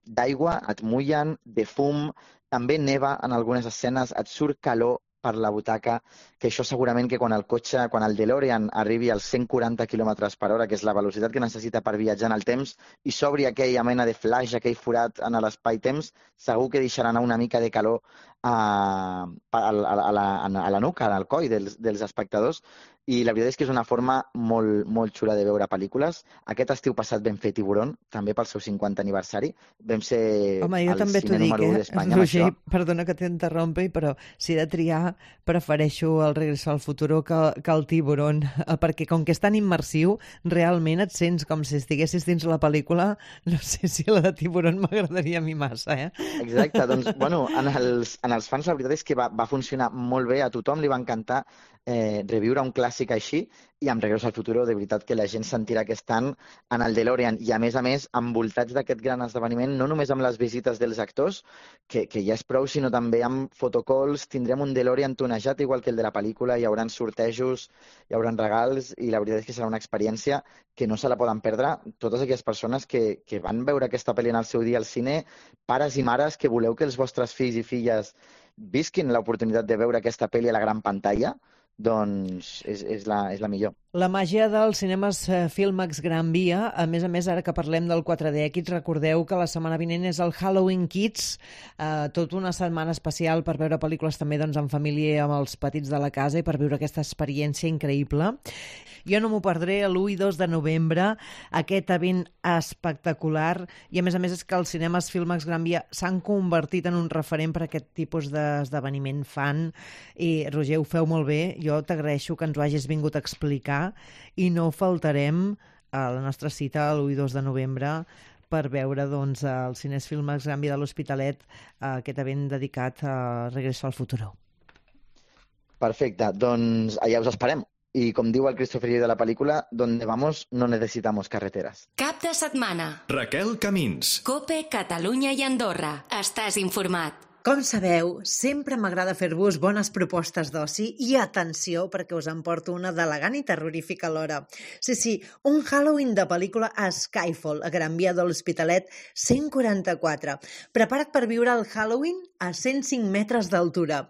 d'aigua, et mullen, de fum, també neva en algunes escenes, et surt calor per la butaca, que això segurament que quan el cotxe, quan el DeLorean arribi als cent quaranta quilòmetres per hora, que és la velocitat que necessita per viatjar en el temps, i s'obri aquella mena de flash, aquell forat en l'espai-temps, segur que deixarà anar una mica de calor a, a, a, la, a la nuca, al coll dels, dels espectadors. i la veritat és que és una forma molt, molt xula de veure pel·lícules. Aquest estiu passat vam fer Tiburón, també pel seu cinquanta aniversari. Vam ser Home, jo el també t'ho cine dic, número u eh? d'Espanya amb Roger, això. perdona que t'interrompi, però si he de triar, prefereixo el Regreso al Futuro que, que el Tiburón, perquè com que és tan immersiu, realment et sents com si estiguessis dins la pel·lícula. No sé si la de Tiburón m'agradaria a mi massa, eh? Exacte, doncs, bueno, en els, en els fans la veritat és que va, va funcionar molt bé, a tothom li va encantar eh, reviure un clàssic així, i amb Regreso al Futuro de veritat que la gent sentirà que estan en el DeLorean, i a més a més envoltats d'aquest gran esdeveniment, no només amb les visites dels actors, que, que ja és prou, sinó també amb fotocalls. Tindrem un DeLorean tonejat igual que el de la pel·lícula, hi haurà sortejos, hi haurà regals, i la veritat és que serà una experiència que no se la poden perdre totes aquelles persones que, que van veure aquesta pel·li en el seu dia al cine, pares i mares que voleu que els vostres fills i filles visquin l'oportunitat de veure aquesta pel·li a la gran pantalla, doncs és, és, la, és la millor. La màgia dels cinemes Filmax Gran Via. A més a més, ara que parlem del quatre D Kids, recordeu que la setmana vinent és el Halloween Kids, eh, tota una setmana especial per veure pel·lícules també doncs, en família, amb els petits de la casa, i per viure aquesta experiència increïble. Jo no m'ho perdré l'u i dos de novembre, aquest event espectacular, i a més a més és que els cinemes Filmax Gran Via s'han convertit en un referent per a aquest tipus d'esdeveniment fan, i Roger, ho feu molt bé, jo t'agraeixo que ens ho hagis vingut a explicar, i no faltarem a la nostra cita l'u i dos de novembre per veure doncs, el Cines Filmax Gran Via de l'Hospitalet, aquest event dedicat a Regreso al Futuro. Perfecte, doncs allà us esperem. I com diu el Christopher Lee de la pel·lícula, donde vamos no necesitamos carreteras. Cap de setmana. Raquel Camins. Cope, Catalunya i Andorra. Estàs informat. Com sabeu, sempre m'agrada fer-vos bones propostes d'oci, i atenció, perquè us en porto una d'elegant i terrorífica alhora. Sí, sí, un Halloween de pel·lícula a Skyfall, a Gran Via de l'Hospitalet cent quaranta-quatre. Prepara't per viure el Halloween a cent cinc metres d'altura.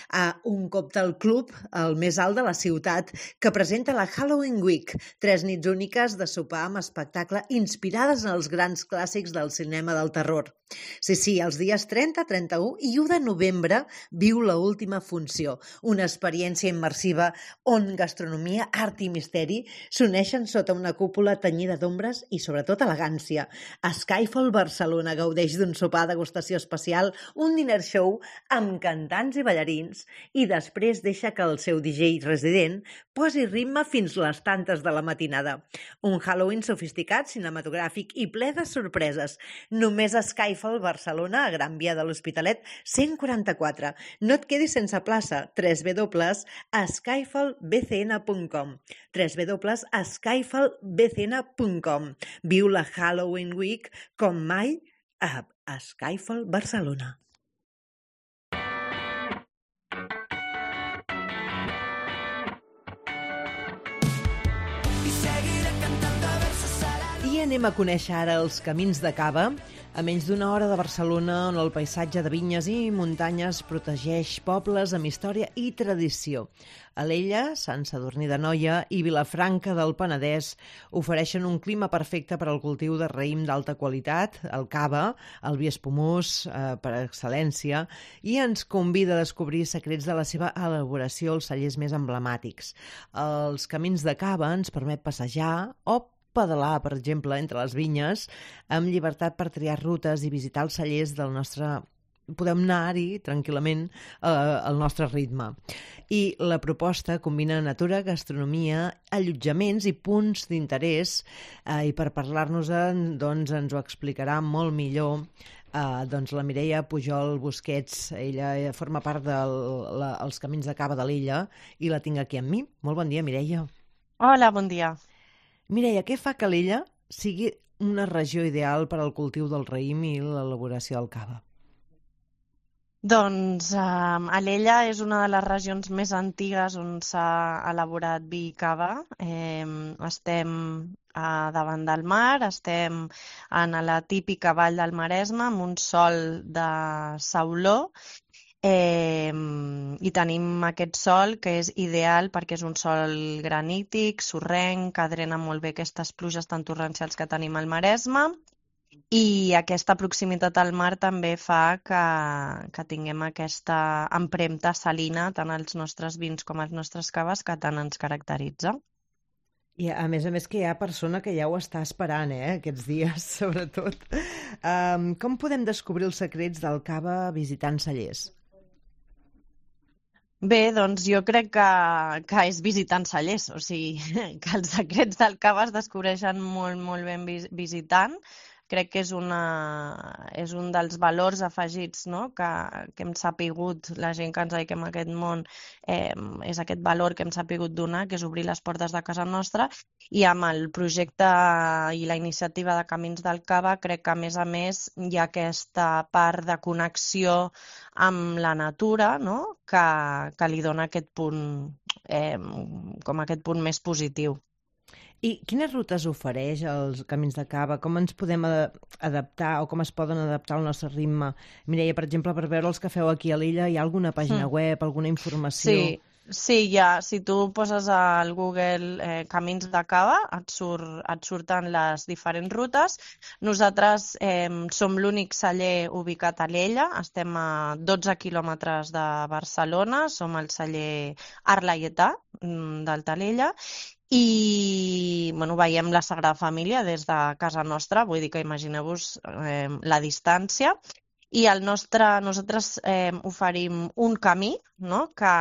A un Cocktail Club, el més alt de la ciutat, que presenta la Halloween Week, tres nits úniques de sopar amb espectacle inspirades en els grans clàssics del cinema del terror. Sí, sí, els dies trenta, trenta-u i u de novembre viu la última funció, una experiència immersiva on gastronomia, art i misteri s'uneixen sota una cúpula tenyida d'ombres i sobretot elegància. A Skyfall Barcelona gaudeix d'un sopar degustació especial, un dinner show amb cantants i ballarins, i després deixa que el seu D J resident posi ritme fins les tantes de la matinada. Un Halloween sofisticat, cinematogràfic i ple de sorpreses. Només a Skyfall Barcelona, a Gran Via de l'Hospitalet cent quaranta-quatre. No et quedis sense plaça. w w w punt skyfall b c n punt com w w w punt skyfall b c n punt com. Viu la Halloween Week com mai a, a Skyfall Barcelona. I anem a conèixer ara els camins de Cava, a menys d'una hora de Barcelona, on el paisatge de vinyes i muntanyes protegeix pobles amb història i tradició. Alella, Sant Sadurní d'Anoia i Vilafranca del Penedès ofereixen un clima perfecte per al cultiu de raïm d'alta qualitat, el cava, el vi espumós eh, per excel·lència, i ens convida a descobrir secrets de la seva elaboració als cellers més emblemàtics. Els camins de Cava ens permet passejar o pedalar, per exemple, entre les vinyes, amb llibertat per triar rutes i visitar els cellers del nostre... Podem anar-hi tranquil·lament eh, al nostre ritme. I la proposta combina natura, gastronomia, allotjaments i punts d'interès, eh, i per parlar-nos-en doncs, ens ho explicarà molt millor eh, doncs, la Mireia Pujol Busquets. Ella forma part dels Camins de Cava de l'Illa i la tinc aquí amb mi. Molt bon dia, Mireia. Hola, bon dia. Mireia, què fa que l'Illa sigui una regió ideal per al cultiu del raïm i l'elaboració del cava? Doncs eh, Alella és una de les regions més antigues on s'ha elaborat vi i cava. Eh, estem eh, davant del mar, estem en la típica vall del Maresme, amb un sòl de sauló, eh, i tenim aquest sòl que és ideal perquè és un sòl granític, sorrenc, que drena molt bé aquestes pluges tan torrencials que tenim al Maresme. i aquesta proximitat al mar també fa que, que tinguem aquesta empremta salina tant als nostres vins com als nostres caves que tant ens caracteritza. I a més a més que hi ha persona que ja ho està esperant, eh, aquests dies, sobretot. Um, com podem descobrir els secrets del cava visitant cellers? Bé, doncs jo crec que, que és visitant cellers, o sigui, que els secrets del cava es descobreixen molt, molt ben vis visitant. Crec que és, una, és un dels valors afegits, no? que, que hem sapigut, la gent que ens dediquem a aquest món, eh, és aquest valor que hem sapigut donar, que és obrir les portes de casa nostra, i amb el projecte i la iniciativa de Camins del Cava crec que a més a més hi ha aquesta part de connexió amb la natura, no? que, que li dona aquest punt, eh, com aquest punt més positiu. I quines rutes ofereix els Camins de Cava? Com ens podem adaptar o com es poden adaptar al nostre ritme? Mireia, per exemple, per veure els que feu aquí a l'illa, hi ha alguna pàgina mm. web, alguna informació? Sí, sí, ja. Si tu poses al Google eh, Camins de Cava, et, surt, et surten les diferents rutes. Nosaltres eh, som l'únic celler ubicat a l'Ella, estem a dotze quilòmetres de Barcelona, som el celler Arlaietà del Talella, i bueno, veiem la Sagrada Família des de casa nostra, vull dir que imagineu-vos eh, la distància, i el nostre, nosaltres eh, oferim un camí, no? que,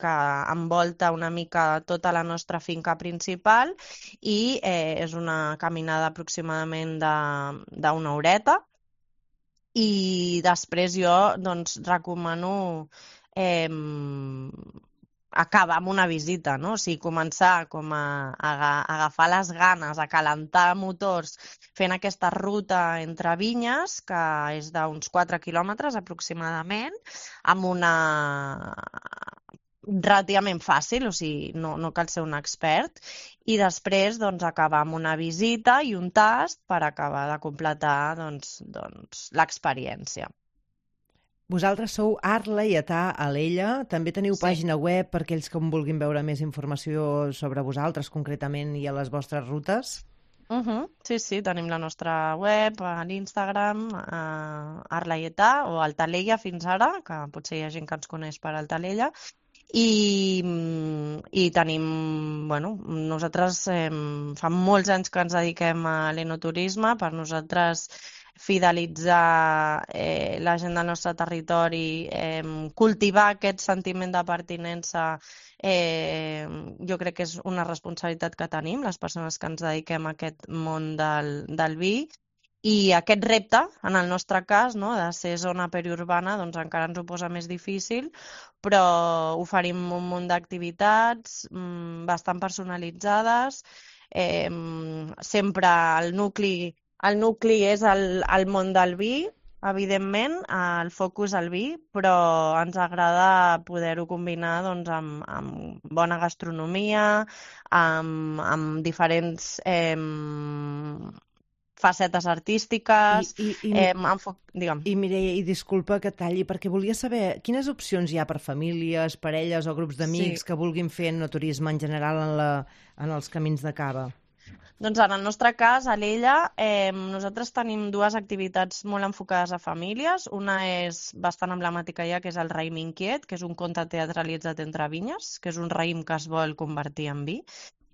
que envolta una mica tota la nostra finca principal i eh, és una caminada aproximadament d'una horeta, i després jo doncs, recomano eh, acabar amb una visita, no? O sigui, començar com a, a, a agafar les ganes, a calentar motors, fent aquesta ruta entre vinyes, que és d'uns quatre quilòmetres aproximadament, amb una relativament fàcil, o sigui, no, no cal ser un expert, i després doncs, acabar amb una visita i un tast per acabar de completar doncs, doncs, l'experiència. Vosaltres sou Arlaietà a l'Ella, també teniu sí. pàgina web per aquells que vulguin veure més informació sobre vosaltres concretament i a les vostres rutes? Uh -huh. Sí, sí, tenim la nostra web, a l'Instagram, a Arlaietà o Altalella fins ara, que potser hi ha gent que ens coneix per Altalella, i, i tenim, bueno, nosaltres eh, fa molts anys que ens dediquem a l'enoturisme, per nosaltres fidelitzar eh, la gent del nostre territori, eh, cultivar aquest sentiment de pertinença, eh, jo crec que és una responsabilitat que tenim, les persones que ens dediquem a aquest món del, del vi, i aquest repte, en el nostre cas, no, de ser zona periurbana, doncs encara ens ho posa més difícil, però oferim un munt d'activitats mmm, bastant personalitzades, eh, sempre el nucli El nucli és el, el món del vi, evidentment, el focus al vi, però ens agrada poder-ho combinar doncs, amb, amb bona gastronomia, amb, amb diferents eh, facetes artístiques... I, i, i, eh, amb, digue'm. I Mireia, i disculpa que talli, perquè volia saber quines opcions hi ha per famílies, parelles o grups d'amics sí. que vulguin fer enoturisme en general en, la, en els Camins de Cava. Doncs en el nostre cas, a l'Ella, eh, nosaltres tenim dues activitats molt enfocades a famílies. Una és bastant emblemàtica ja, que és el raïm inquiet, que és un conte teatralitzat entre vinyes, que és un raïm que es vol convertir en vi.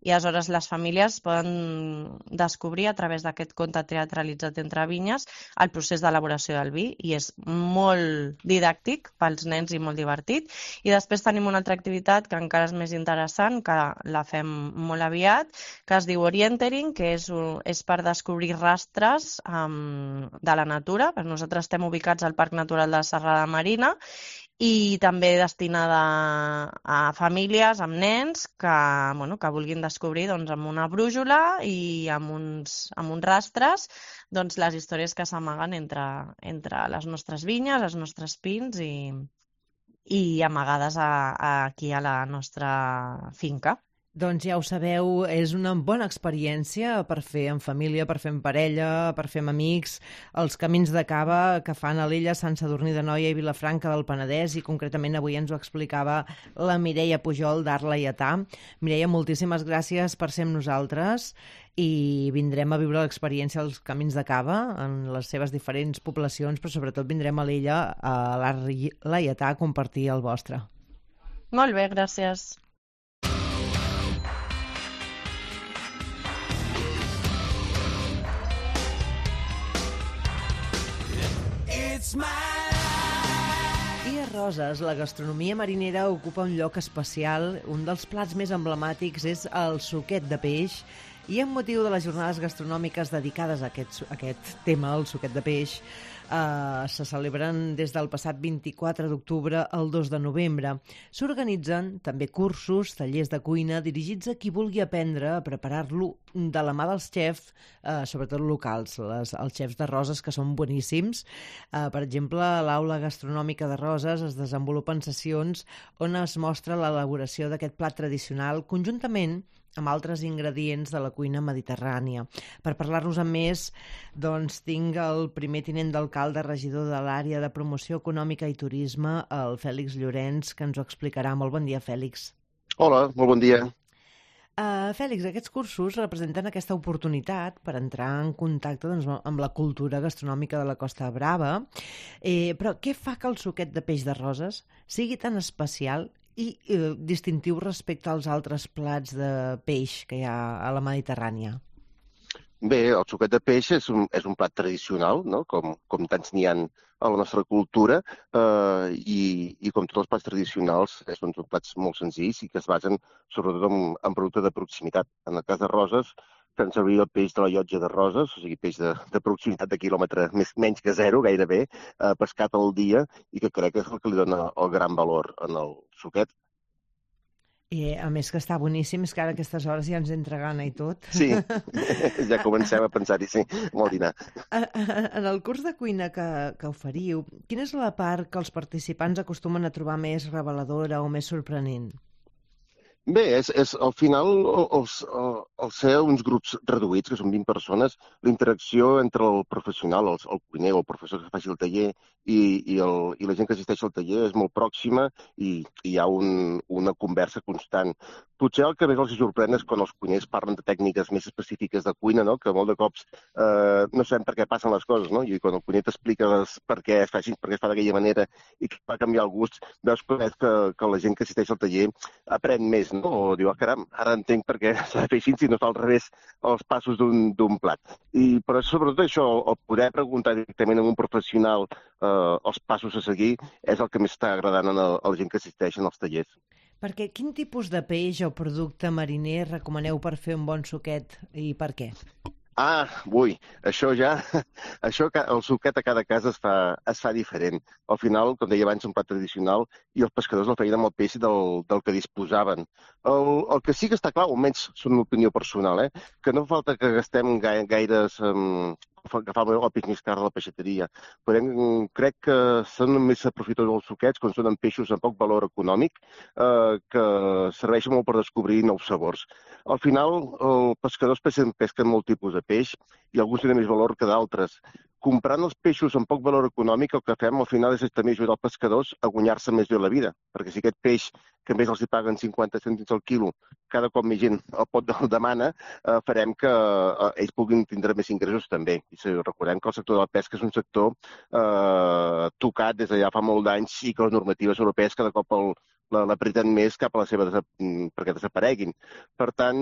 I aleshores les famílies poden descobrir a través d'aquest conte teatralitzat entre vinyes el procés d'elaboració del vi, i és molt didàctic pels nens i molt divertit. I després tenim una altra activitat que encara és més interessant, que la fem molt aviat, que es diu Orientering, que és, és per descobrir rastres um, de la natura. Nosaltres estem ubicats al Parc Natural de la Serrada Marina, i també destinada a famílies amb nens que, bueno, que vulguin descobrir doncs, amb una brújula i amb uns, amb uns rastres doncs, les històries que s'amaguen entre, entre les nostres vinyes, els nostres pins i, i amagades a, a aquí a la nostra finca. Doncs ja ho sabeu, és una bona experiència per fer en família, per fer en parella, per fer amb amics, els camins de cava que fan a l'Ella, Sant Sadurní d'Anoia i Vilafranca del Penedès, i concretament avui ens ho explicava la Mireia Pujol d'Art Laietà. Mireia, moltíssimes gràcies per ser amb nosaltres i vindrem a viure l'experiència dels camins de cava en les seves diferents poblacions, però sobretot vindrem a l'Ella, a l'Art Laietà, a compartir el vostre. Molt bé, gràcies. I a Roses, la gastronomia marinera ocupa un lloc especial. Un dels plats més emblemàtics és el suquet de peix, i amb motiu de les jornades gastronòmiques dedicades a aquest, a aquest tema, el suquet de peix, eh, se celebren des del passat vint-i-quatre d'octubre al dos de novembre. S'organitzen també cursos, tallers de cuina, dirigits a qui vulgui aprendre a preparar-lo de la mà dels xefs, eh, sobretot locals, les, els xefs de Roses, que són boníssims. Eh, per exemple, a l'Aula Gastronòmica de Roses es desenvolupen sessions on es mostra l'elaboració d'aquest plat tradicional conjuntament amb altres ingredients de la cuina mediterrània. Per parlar-nos amb més, doncs, tinc el primer tinent d'alcalde, regidor de l'àrea de promoció econòmica i turisme, el Fèlix Llorenç, que ens ho explicarà. Molt bon dia, Fèlix. Hola, molt bon dia. Uh, Fèlix, aquests cursos representen aquesta oportunitat per entrar en contacte, doncs, amb la cultura gastronòmica de la Costa Brava. Eh, però què fa que el suquet de peix de Roses sigui tan especial i eh, distintiu respecte als altres plats de peix que hi ha a la Mediterrània? Bé, el suquet de peix és un, és un plat tradicional, no? com, com tants n'hi ha a la nostra cultura, eh, i, i com tots els plats tradicionals, són plats molt senzills i que es basen sobretot en, en producte de proximitat. En el cas de Roses, fem servir el peix de la llotja de Roses, o sigui, peix de, de proximitat de quilòmetre més, menys que zero, gairebé, eh, pescat al dia, i que crec que és el que li dona el gran valor en el suquet. I a més que està boníssim, és que ara a aquestes hores ja ens entra gana i tot. Sí, ja comencem a pensar-hi, sí, molt dinar. En el curs de cuina que, que oferiu, quina és la part que els participants acostumen a trobar més reveladora o més sorprenent? Bé, és, és al final, els, al ser uns grups reduïts, que són vint persones, la interacció entre el professional, el, el cuiner o el professor que faci el taller i, i, el, i la gent que assisteix al taller és molt pròxima i, i hi ha un, una conversa constant. Potser el que més els sorprèn és quan els cuiners parlen de tècniques més específiques de cuina, no? Que molt de cops eh, no sabem per què passen les coses, no? I quan el cuiner t'explica les, per què es fa així, per què es fa d'aquella manera i que va canviar el gust, veus que, que la gent que assisteix al taller aprèn més, no? O diu, ah, caram, ara entenc per què s'ha de fer així si no fa al revés els passos d'un plat. I, però sobretot això, el poder preguntar directament a un professional eh, els passos a seguir és el que més està agradant a la gent que assisteix als tallers. Perquè quin tipus de peix o producte mariner recomaneu per fer un bon suquet i per què? Ah, ui, això ja, això, el suquet a cada casa es fa, es fa diferent. Al final, com deia abans, un plat tradicional i els pescadors la feien amb el peix del, del que disposaven. El, el que sí que està clar, almenys són una opinió personal, eh, que no fa falta que gastem gaire, gaires... Um, agafar el peix més car de la peixateria. Però crec que són més aprofitadors els suquets quan són peixos amb poc valor econòmic, eh, que serveixen molt per descobrir nous sabors. Al final, els pescadors pesquen, pesquen molt tipus de peix i alguns tenen més valor que d'altres. Comprant els peixos amb poc valor econòmic, el que fem al final és també ajudar els pescadors a guanyar-se més bé la vida, perquè si aquest peix, que a més els hi paguen cinquanta cèntims al quilo, cada cop més gent el pot el demana, eh, farem que eh, ells puguin tindre més ingressos també. I si recordem que el sector de la pesca és un sector eh, tocat des de ja fa molt d'anys i que les normatives europees cada cop el l'apreten més cap a la seva perquè desapareguin. Per tant,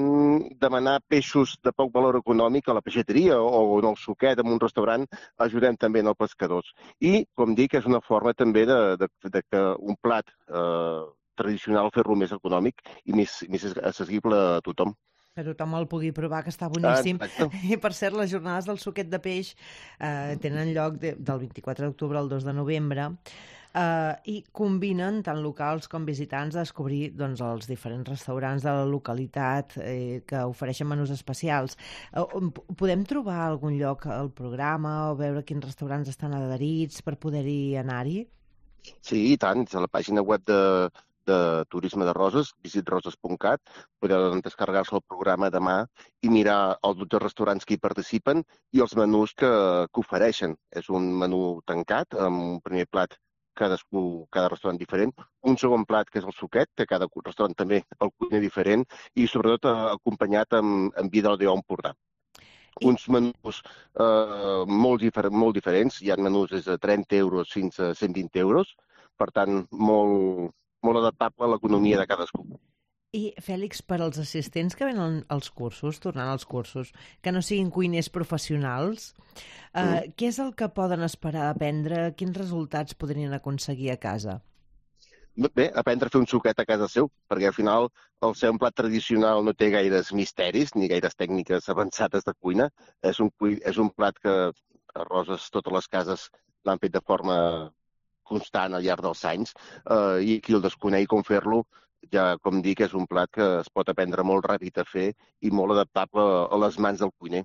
demanar peixos de poc valor econòmic a la peixateria o en el suquet en un restaurant ajudem també en els pescadors. I, com dic, és una forma també de, de, de que un plat eh, tradicional fer-lo més econòmic i més, més accessible a tothom. Que tothom el pugui provar, que està boníssim. Ah, I, per cert, les jornades del suquet de peix eh, tenen lloc de, del vint-i-quatre d'octubre al dos de novembre eh, i combinen tant locals com visitants a descobrir doncs, els diferents restaurants de la localitat eh, que ofereixen menús especials. Eh, podem trobar algun lloc al programa o veure quins restaurants estan adherits per poder-hi anar-hi? Sí, i tant. A la pàgina web de de turisme de roses, visit roses punt cat, podeu descarregar-se el programa demà i mirar els dotze restaurants que hi participen i els menús que, que ofereixen. És un menú tancat, amb un primer plat cadascú, cada restaurant diferent, un segon plat que és el suquet, que cada restaurant també el cuiner diferent, i sobretot acompanyat amb, amb vi del Déu Empordà. Uns menús eh, molt, difer molt diferents, hi ha menús des de trenta euros fins a cent vint euros, per tant, molt, molt adaptable a l'economia de cadascú. I, Fèlix, per als assistents que venen als cursos, tornant als cursos, que no siguin cuiners professionals, eh, mm. què és el que poden esperar aprendre? Quins resultats podrien aconseguir a casa? Bé, aprendre a fer un suquet a casa seu, perquè al final el ser un plat tradicional no té gaires misteris ni gaires tècniques avançades de cuina. És un, és un plat que a Roses totes les cases l'han fet de forma constant al llarg dels anys, eh, i qui el desconeix com fer-lo, ja com dic, és un plat que es pot aprendre molt ràpid a fer i molt adaptable a les mans del cuiner.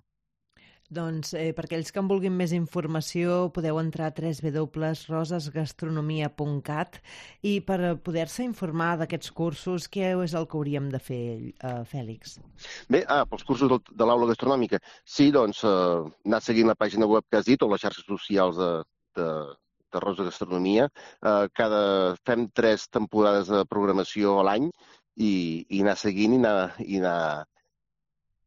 Doncs eh, per aquells que en vulguin més informació podeu entrar a w w w punt roses gastronomia punt cat i per poder-se informar d'aquests cursos, què és el que hauríem de fer, eh, Fèlix? Bé, ah, pels cursos de, de l'aula gastronòmica. Sí, doncs, eh, anar seguint la pàgina web que has dit o les xarxes socials de, de, de Roses Gastronomia. Eh, cada, fem tres temporades de programació a l'any i, i anar seguint i anar... I anar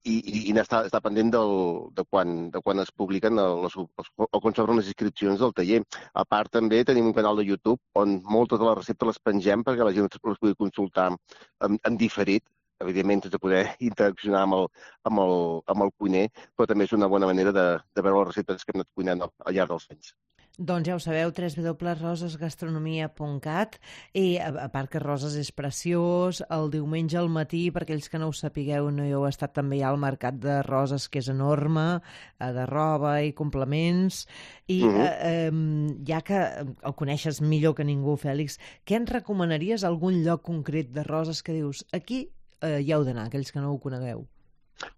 i, i, i està, està pendent del, de, quan, de quan es publiquen les, o quan s'obren les inscripcions del taller. A part, també tenim un canal de YouTube on moltes de les receptes les pengem perquè la gent les pugui consultar en, en diferit, evidentment sense poder interaccionar amb el, amb, el, amb el cuiner, però també és una bona manera de, de veure les receptes que hem anat cuinant al, al llarg dels anys. Doncs ja ho sabeu, w w w punt roses gastronomia punt cat, i a, a part que Roses és preciós, el diumenge al matí, per aquells que no ho sapigueu, no hi heu estat també ja al mercat de Roses, que és enorme, de roba i complements, i mm-hmm. eh, eh, ja que el coneixes millor que ningú, Fèlix, què ens recomanaries, algun lloc concret de Roses que dius, aquí eh, hi heu d'anar, aquells que no ho conegueu?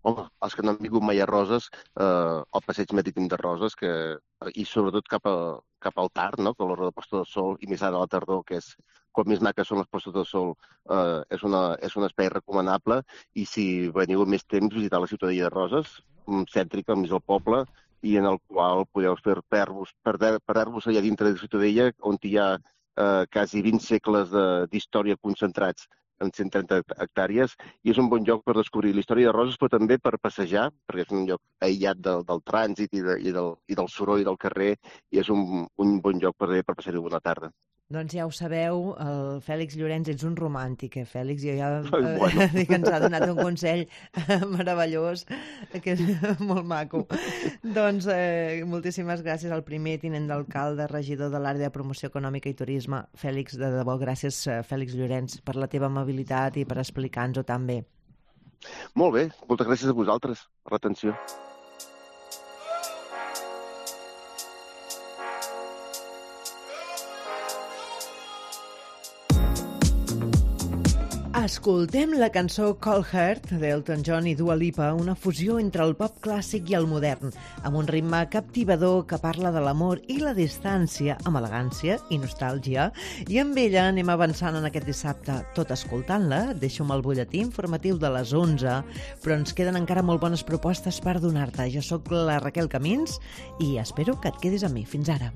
Home, els que no han vingut mai a Roses, eh, el passeig marítim de Roses, que, i sobretot cap, a, cap al tard, no? Que a l'hora de posta de sol, i més ara a la tardor, que és quan més maques són les postes de sol, eh, és, una, és un espai recomanable, i si veniu més temps, visitar la ciutadella de Roses, cèntrica, al mig del poble, i en el qual podeu fer per-vos allà dintre de la ciutadella, on hi ha eh, quasi vint segles d'història concentrats en cent trenta hectàrees, i és un bon lloc per descobrir la història de Roses, però també per passejar, perquè és un lloc aïllat del, del trànsit i, de, i, del, i del soroll del carrer, i és un, un bon lloc per, per passar-hi una tarda. Doncs ja ho sabeu, el Fèlix Llorenç, ets un romàntic, eh, Fèlix? Jo ja eh, bueno. dic que ens ha donat un consell meravellós, que és molt maco. Doncs eh, moltíssimes gràcies al primer tinent d'alcalde, regidor de l'àrea de promoció econòmica i turisme, Fèlix, de debò, gràcies, Fèlix Llorenç, per la teva amabilitat i per explicar-nos-ho tan bé. Molt bé, moltes gràcies a vosaltres per l'atenció. Escoltem la cançó Cold Heart d'Elton John i Dua Lipa, una fusió entre el pop clàssic i el modern, amb un ritme captivador que parla de l'amor i la distància, amb elegància i nostàlgia. I amb ella anem avançant en aquest dissabte. Tot escoltant-la, deixo amb el butlletí informatiu de les onze, però ens queden encara molt bones propostes per donar-te. Jo sóc la Raquel Camins i espero que et quedis amb mi. Fins ara.